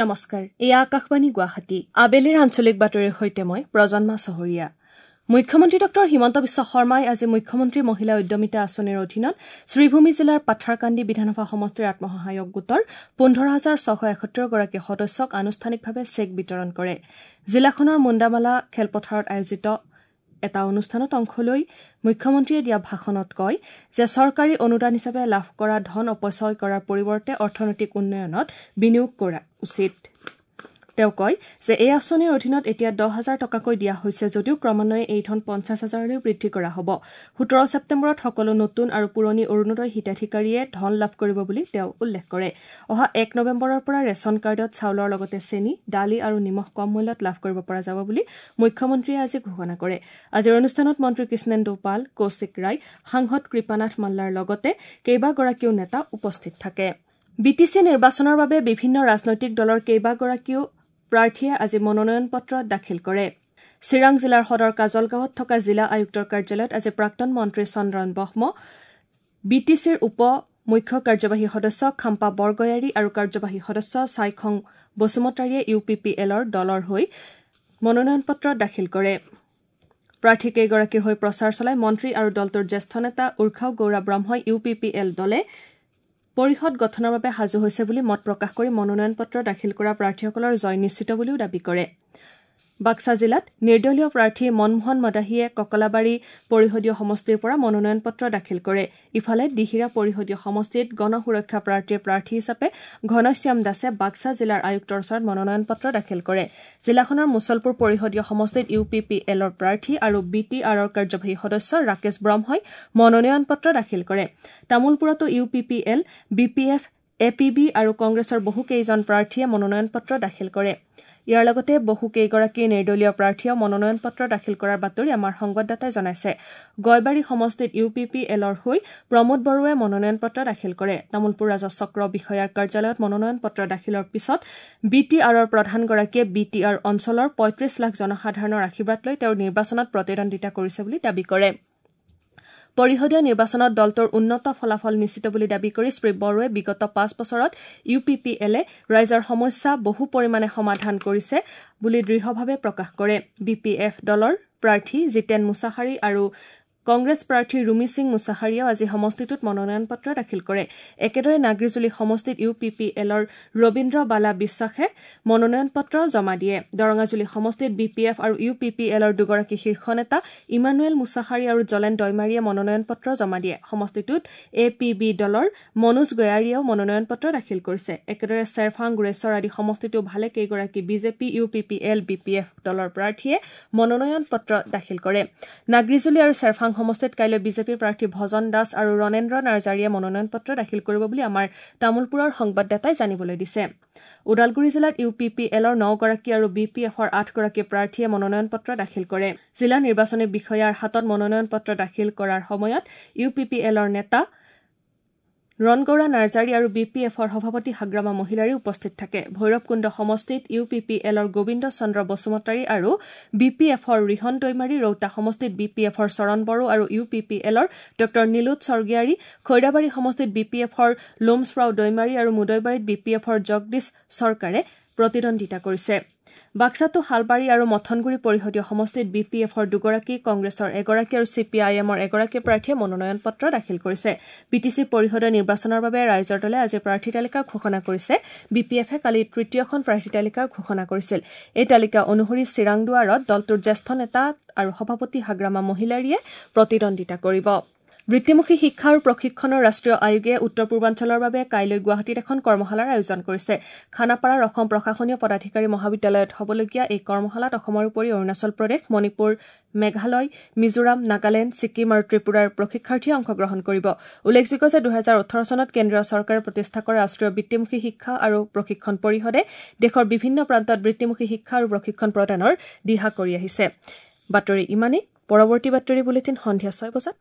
নমস্কাৰ, এয়া আকাশবাণী গুৱাহাটী। আবেলিৰ আঞ্চলিক বাতৰিৰ সৈতে মই প্ৰজন্মা চহৰীয়া। মুখ্যমন্ত্ৰী ডঃ হিমন্ত বিশ্ব শৰ্মাই আজি মুখ্যমন্ত্ৰী মহিলা উদ্যমিতা আঁচনিৰ অধীনত শ্ৰীভূমি জিলাৰ পাথাৰকান্দি বিধানসভা সমষ্টিৰ আত্মসহায়ক গোটৰ ১৫,৬৭১ গৰাকী সদস্যক আনুষ্ঠানিকভাৱে চেক বিতৰণ কৰে। জিলাখনৰ মুণ্ডামালা খেলপথাৰত আয়োজিত এটা অনুষ্ঠানত অংশ লৈ মুখ্যমন্ত্ৰীয়ে দিয়া ভাষণত কয় যে চৰকাৰী অনুদান হিচাপে লাভ কৰা ধন অপচয় কৰাৰ পৰিৱৰ্তে অৰ্থনৈতিক উন্নয়নত বিনিয়োগ কৰা উচিত। তেওঁ কয় যে এই আঁচনিৰ অধীনত এতিয়া ১০,০০০ টকাকৈ দিয়া হৈছে যদিও ক্ৰমান্বয়ে এই ধন ৫০,০০০লৈ বৃদ্ধি কৰা হ'ব। ১৭ ছেপ্টেম্বৰত সকলো নতুন আৰু পুৰণি অৰুণোদয় হিতাধিকাৰীয়ে ধন লাভ কৰিব বুলি তেওঁ উল্লেখ কৰে। অহা ১ নৱেম্বৰৰ পৰা ৰেচন কাৰ্ডত চাউলৰ লগতে চেনী, দালি আৰু নিমখ কম মূল্যত লাভ কৰিব পৰা যাব বুলি মুখ্যমন্ত্ৰীয়ে আজি ঘোষণা কৰে। আজিৰ অনুষ্ঠানত মন্ত্ৰী কৃষ্ণেন্দু পাল, কৌশিক ৰায়, সাংসদ কৃপানাথ মাল্লাৰ লগতে কেইবাগৰাকীও নেতা উপস্থিত থাকে। বি টি চি নিৰ্বাচনৰ বাবে বিভিন্ন ৰাজনৈতিক দলৰ কেইবাগৰাকীও প্ৰাৰ্থীয়ে আজি মনোনয়ন পত্ৰ দাখিল কৰে। চিৰাং জিলাৰ সদৰ কাজলগাঁৱত থকা জিলা আয়ুক্তৰ কাৰ্যালয়ত আজি প্ৰাক্তন মন্ত্ৰী চন্দন ব্ৰহ্ম, বি টি চিৰ উপ মুখ্য কাৰ্যবাহী সদস্য খাম্পা বৰগয়াৰী আৰু কাৰ্যবাহী সদস্য ছাইখং বসুমতাৰীয়ে ইউ পি পি এলৰ দলৰ হৈ মনোনয়ন পত্ৰ দাখিল কৰে। প্ৰাৰ্থীকেইগৰাকীৰ হৈ প্ৰচাৰ চলাই মন্ত্ৰী আৰু দলটোৰ জ্যেষ্ঠ নেতা উৰ্খাও গৌৰা ব্ৰহ্মই ইউ পি পি এল দলে পৰিষদ গঠনৰ বাবে সাজু হৈছে বুলি মত প্ৰকাশ কৰি মনোনয়ন পত্ৰ দাখিল কৰা প্ৰাৰ্থীসকলৰ জয় নিশ্চিত বুলিও দাবী কৰে। বাক্সা জিলাত নিৰ্দলীয় প্ৰাৰ্থী মনমোহন মদাহীয়ে ককলাবাৰী পৰিষদীয় সমষ্টিৰ পৰা মনোনয়ন পত্ৰ দাখিল কৰে। ইফালে দিহিৰা পৰিষদীয় সমষ্টিত গণ সুৰক্ষা প্ৰাৰ্থীৰ প্ৰাৰ্থী হিচাপে ঘনশ্যাম দাসে বাক্সা জিলাৰ আয়ুক্তৰ ওচৰত মনোনয়ন পত্ৰ দাখিল কৰে। জিলাখনৰ মুছলপুৰ পৰিষদীয় সমষ্টিত ইউ পি পি এলৰ প্ৰাৰ্থী আৰু বি টি আৰৰ কাৰ্যবাহী সদস্য ৰাকেশ ব্ৰহ্মই মনোনয়ন পত্ৰ দাখিল কৰে। তামুলপুৰতো U P P L, B P F, A P B আৰু কংগ্ৰেছৰ বহুকেইজন প্ৰাৰ্থীয়ে মনোনয়ন পত্ৰ দাখিল কৰে। ইয়াৰ লগতে বহুকেইগৰাকী নিৰ্দলীয় প্ৰাৰ্থীয়েও মনোনয়ন পত্ৰ দাখিল কৰাৰ বাতৰি আমাৰ সংবাদদাতাই জনাইছে। গয়বাৰী সমষ্টিত ইউ পি পি এলৰ হৈ প্ৰমোদ বড়োৱে মনোনয়ন পত্ৰ দাখিল কৰে। তামুলপুৰ ৰাজহ চক্ৰ বিষয়াৰ কাৰ্যালয়ত মনোনয়ন পত্ৰ দাখিলৰ পিছত বি টি আৰৰ প্ৰধানগৰাকীয়ে বি টি আৰ অঞ্চলৰ ৩৫ লাখ জনসাধাৰণৰ আশীৰ্বাদ লৈ তেওঁ নিৰ্বাচনত প্ৰতিদ্বন্দ্বিতা কৰিছে বুলি দাবী কৰে। পৰিষদীয় নিৰ্বাচনত দলটোৰ উন্নত ফলাফল নিশ্চিত বুলি দাবী কৰি শ্ৰী বড়োৱে বিগত ৫ বছৰত ইউ পি পি এলে ৰাইজৰ সমস্যা বহু পৰিমাণে সমাধান কৰিছে বুলি দৃঢ়ভাৱে প্ৰকাশ কৰে। বি পি এফ দলৰ প্ৰাৰ্থী জিতেন মুছাহাৰী আৰু কংগ্ৰেছ প্ৰাৰ্থী ৰুমি সিং মুছাহাৰীয়েও আজি সমষ্টিটোত মনোনয়ন পত্ৰ দাখিল কৰে। একেদৰে নাগ্ৰীজুলি সমষ্টিত ইউ পি পি এলৰ ৰবীন্দ্ৰ বালা বিশ্বাসে মনোনয়ন পত্ৰ জমা দিয়ে। দৰঙাজুলি সমষ্টিত বি পি এফ আৰু ইউ পি পি এলৰ দুগৰাকী শীৰ্ষ নেতা ইমানুৱেল মুছাহাৰী আৰু জলেন দৈমাৰীয়ে মনোনয়ন পত্ৰ জমা দিয়ে। সমষ্টিটোত এ পি বি দলৰ মনোজ গয়াৰীয়েও মনোনয়ন পত্ৰ দাখিল কৰিছে। একেদৰে চেৰফাং, গোৰেশ্বৰ আদি সমষ্টিতো ভালেকেইগৰাকী BJP, U P P L, B P F দলৰ প্ৰাৰ্থীয়ে মনোনয়ন পত্ৰ দাখিল কৰে। নাগ্ৰীজুলি আৰু চেৰফাং সমষ্টিত কাইলৈ বিজেপিৰ প্ৰাৰ্থী ভজন দাস আৰু ৰণেন্দ্ৰ নাৰ্জাৰীয়ে মনোনয়ন পত্ৰ দাখিল কৰিব বুলি আমাৰ তামুলপুৰৰ সংবাদদাতাই জানিবলৈ দিছে। ওদালগুৰি জিলাত ইউ পি পি এলৰ ৯ গৰাকী আৰু বি পি এফৰ ৮ গৰাকী প্ৰাৰ্থীয়ে মনোনয়ন পত্ৰ দাখিল কৰে। জিলা নিৰ্বাচনী বিষয়াৰ হাতত মনোনয়ন পত্ৰ দাখিল কৰাৰ সময়ত ইউ পি পি এলৰ নেতা ৰণগৌৰা নাৰ্জাৰী আৰু বি পি এফৰ সভাপতি হাগ্ৰামা মহিলাৰী উপস্থিত থাকে। ভৈৰৱকুণ্ড সমষ্টিত ইউ পি পি এলৰ গোবিন্দ চন্দ্ৰ বসুমতাৰী আৰু বি পি এফৰ ৰিহন দৈমাৰী, ৰৌতা সমষ্টিত বি পি এফৰ চৰণ বড়ো আৰু ইউ পি পি এলৰ ডঃ নীলোৎ স্বৰ্গীয়াৰী, খৈৰাবাৰী সমষ্টিত বি পি এফৰ লোমছৰাও দৈমাৰী আৰু মুদৈবাৰীত বি পি এফৰ জগদীশ চৰকাৰে প্ৰতিদ্বন্দ্বিতা কৰিছে। বাক্সাতো শালবাৰী আৰু মথনগুৰি পৰিষদীয় সমষ্টিত বি পি এফৰ দুগৰাকী, কংগ্ৰেছৰ এগৰাকী আৰু চি পি আই এমৰ এগৰাকী প্ৰাৰ্থীয়ে মনোনয়ন পত্ৰ দাখিল কৰিছে। বি টি চি পৰিষদৰ নিৰ্বাচনৰ বাবে ৰাইজৰ দলে আজি প্ৰাৰ্থী তালিকা ঘোষণা কৰিছে। বি পি এফে কালি তৃতীয়খন প্ৰাৰ্থী তালিকা ঘোষণা কৰিছিল। এই তালিকা অনুসৰি চিৰাংদুৱাৰত দলটোৰ জ্যেষ্ঠ নেতা আৰু সভাপতি হাগ্ৰামা মহিলাৰীয়ে প্ৰতিদ্বন্দ্বিতা কৰিব। বৃত্তিমুখী শিক্ষা আৰু প্ৰশিক্ষণৰ ৰাষ্ট্ৰীয় আয়োগে উত্তৰ পূৰ্বাঞ্চলৰ বাবে কাইলৈ গুৱাহাটীত এখন কৰ্মশালাৰ আয়োজন কৰিছে। খানাপাৰাৰ অসম প্ৰশাসনীয় পদাধিকাৰী মহাবিদ্যালয়ত হ'বলগীয়া এই কৰ্মশালাত অসমৰ উপৰি অৰুণাচল প্ৰদেশ, মণিপুৰ, মেঘালয়, মিজোৰাম, নাগালেণ্ড, ছিকিম আৰু ত্ৰিপুৰাৰ প্ৰশিক্ষাৰ্থীয়ে অংশগ্ৰহণ কৰিব। উল্লেখযোগ্য যে ২০১৮ চনত কেন্দ্ৰীয় চৰকাৰে প্ৰতিষ্ঠা কৰা ৰাষ্ট্ৰীয় বৃত্তিমুখী শিক্ষা আৰু প্ৰশিক্ষণ পৰিষদে দেশৰ বিভিন্ন প্ৰান্তত বৃত্তিমুখী শিক্ষা আৰু প্ৰশিক্ষণ প্ৰদানৰ দিহা কৰি আহিছে। বাতৰি ইমানেই। পৰৱৰ্তী বাতৰি বুলেটিন সন্ধিয়া ৬ বজাত।